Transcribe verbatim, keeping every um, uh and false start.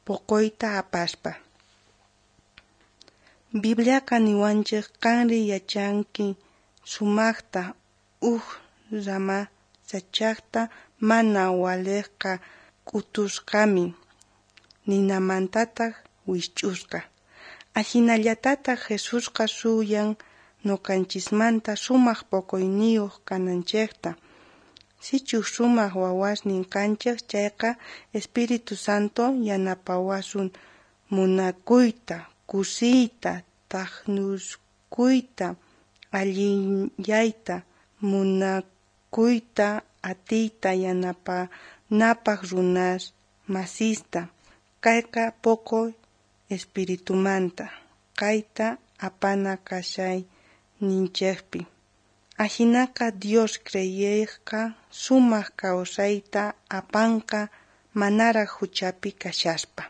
Poqoyta apaspa. Bibliaqa niwanchej qanri yachanki sumajta uj rama sach'ajta mana walejqa k'utusqamin, ninamantataj wijch'usqa. Ajinallatataj Jesusqa suyan noqanchismanta sumaj poqoyniyoj kananchejta. Sichus sumaj wawasnin kanchej chayqa, Espíritu Santo yanapawasun munakuyta, kusiyta, thajnuskuyta, allinyayta, munakuyta, atiyta yanapanapaj runas masista. Kayqa poqoy espiritumanta, kayta apana kashayninchejpi. Ajinaqa Dios creyejqa sumaj kawsayta apanqa manaraj juchapi kashaspa.